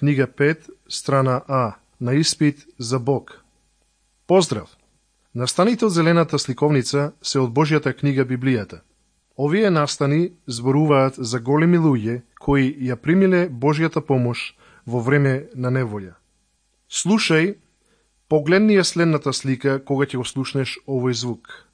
книга 5, страна А, на испит за Бог. Поздрав! Настаните од зелената сликовница се од Божјата книга Библијата. Овие настани зборуваат за големи луѓе кои ја примиле Божјата помош во време на неволја. Слушај, погледни ја следната слика кога ќе го слушнеш овој звук.